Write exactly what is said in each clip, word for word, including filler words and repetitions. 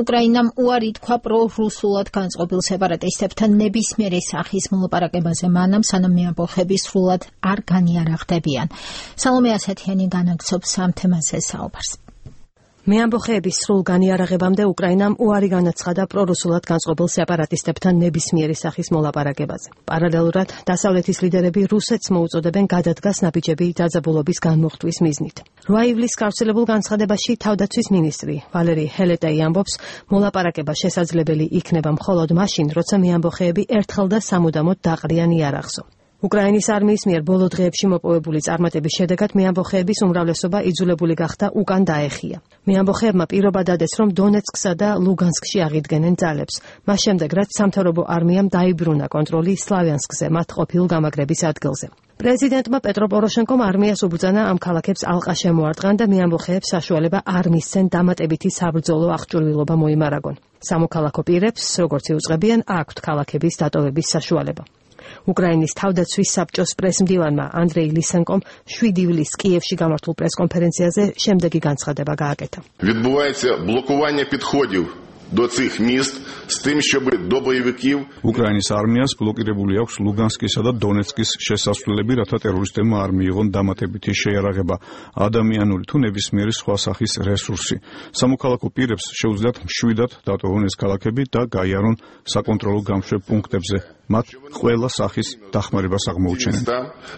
უკრაინამ უარი თქვა პრო-რუსულად განწყობილ სეპარატისტებთან ნებისმიერი სახის მოლაპარაკებაზე მანამ, სანამ მეამბოხები სრულად არ განიარაღდებიან. სალომე ასათიანი განაგრძობს ამ თემაზე საუბარს. მეამბოხეების სრულ განიარაღებამდე უკრაინამ უარი განაცხადა პრორუსულად განწყობილ სეპარატისტებთან ნებისმიერი სახის მოლაპარაკებაზე. პარალელურად დასავლეთის ლიდერები რუსეთს მოუწოდებენ გადადგას ნაბიჯები დაძაბულობის განმუხტვის მიზნით. რვა ივლისს გავრცელებულ განცხადებაში თავდაცვის მინისტრი ვალერი ჰელეტაი ამბობს, მოლაპარაკება შესაძლებელი იქნება მხოლოდ მაშინ, როცა მეამბოხეები ერთხელ და სამუდამოდ დაყრიან იარაღსო. უკრაინის არმიის მიერ ბოლო დღეებში მოპოვებული წარმატების შედეგად მეამბოხეების უმრავლესობა იძულებული გახდა უკან დაეხია. მეამბოხეებმა პირობა დადეს, რომ დონეცკსა და ლუგანსკში აღიდგენენ ძალებს. მას შემდეგ, რაც სამთავრობო არმიამ დაიბრუნა კონტროლი სლავიანსკზე, მათ ყოფილ გამაგრების ადგილზე. პრეზიდენტმა პეტრო პოროშენკომ არმიას უბრძანა ამ ქალაქებს ალყა შემოარტყან და მეამბოხეებს საშუალება არ მისცენ დამატებითი საბრძოლო აღჭურვილობა მოიმარაგონ. სამოქალაქო პირებს, როგორც იუწყებიან, აქვთ ქალაქების დატოვების საშუალება. უკრაინის თავდაცვის საბჭოს პრესმდივანმა ანდრეი ლისენკომ შვიდი ივლისს კიევში გამართულ პრესკონფერენციაზე შემდეგი განცხადება გააკეთა. Відбувається блокування підходів до цих міст з тим, щоб до бойовиків უკრაინის არმიას ბლოკირებული აქვს ლუგანსკისა და დონეცკის შესასვლელები, რათა ტერორისტებმა არ მიიღონ დამატებითი შეიარაღება, ადამიანური თუ ნებისმიერი სხვა სახის რესურსი. სამოქალაქო პირებს შეუძლიათ მშვიდად დატოვონ ეს ქალაქები და გაიარონ საკონტროლო გამშვებ პუნქტებზე. მათ ყველა სახის დახმარებას აღმოუჩენენ.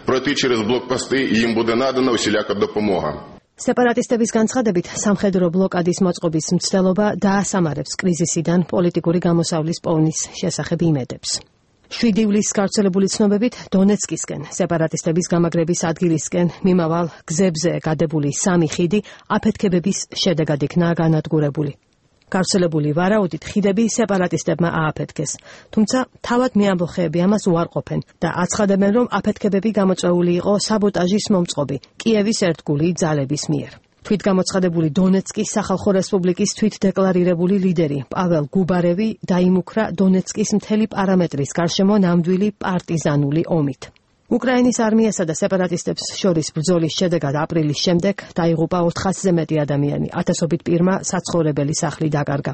Пройти через блокпости і їм буде надана усіляка допомога. სეპარატისტების განცხადებით, სამხედრო ბლოკადის მოწყობის მცდელობა დაასამარებს კრიზისიდან პოლიტიკური გამოსავლის პოვნის შესახებ იმედებს. შვიდი ივლისს გავრცელებული ცნობებით დონეცკისკენ, სეპარატისტების გამაგრების ადგილისკენ მიმავალ გზებზე გადებული სამი ხიდი აფეთქებების შედეგად იქნა განადგურებული. გავრცელებული ვარაუდით ხიდები სეპარატისტებმა ააფეთქეს, თუმცა თავად მეამბოხეები ამას უარყოფენ და აცხადებენ, რომ აფეთქებები გამოწვეული იყო საბოტაჟის მომწყობი კიევის ერთგული ძალების მიერ. თვითგამოცხადებული დონეცკის სახალხო რესპუბლიკის თვითდეკლარირებული ლიდერი პაվել გუბარევი დაიმუქრა დონეცკის მთელი პარამეტრის გარშემო ნამდვილი პარტიზანული ომით. უკრაინის არმიასა და სეპარატისტებს შორის ბრძოლის შედეგად აპრილის შემდეგ დაიღუპა ოთხასზე მეტი ადამიანი, ათასობით პირმა საცხოვრებელი სახლი დაკარგა.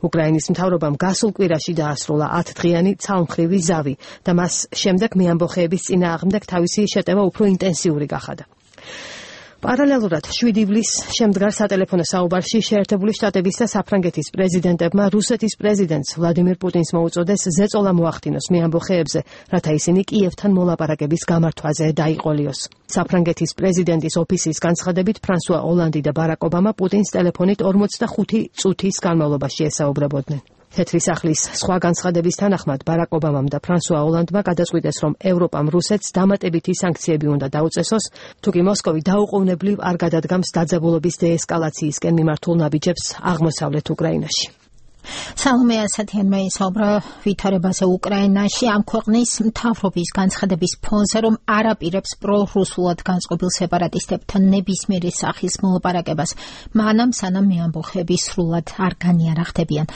უკრაინის მთავრობამ გასულ კვირაში დაასრულა ათდღიანი ცალმხრივი ზავი და მას შემდეგ მეამბოხეების წინააღმდეგ თავისი შეტევა უფრო ინტენსიური გახადა. პარალელურად შვიდი ივლისს შემდგარ სატელეფონო საუბარში შეერთებული შტატების და საფრანგეთის პრეზიდენტებმა რუსეთის პრეზიდენტს ვლადიმირ პუტინს მოუწოდეს ზეწოლა მოახდინოს მეამბოხეებზე, რათა ისინი კიევთან მოლაპარაკების გამართვაზე დაიყოლიოს. საფრანგეთის პრეზიდენტის ოფისის განცხადებით, ფრანსუა ოლანდი და ბარაკ ობამა პუტინს ტელეფონით ორმოცდახუთი წუთის განმავლობაში ესაუბრებოდნენ. თეთრი სახლის სხვა განცხადების თანახმად ბარაკ ობამამ და ფრანსუა ოლანდმა გადაწყვიტეს, რომ ევროპამ რუსეთს დამატებითი სანქციები უნდა დაუწესოს, თუკი მოსკოვი დაუყოვნებლივ არ გადადგამს დაძაბულობის დეესკალაციისკენ მიმართულ ნაბიჯებს აღმოსავლეთ უკრაინაში. სალომე ასათიანმა ისაუბრა ვითარებაზე უკრაინაში ამ ქვეყნის მთავრობის განცხადების ფონზე, რომ არ აპირებს პრორუსულად განწყობილ სეპარატისტებთან ნებისმიერი სახის მოლაპარაკებას, მანამ სანამ მეამბოხეები სრულად არ განიარაღდებიან.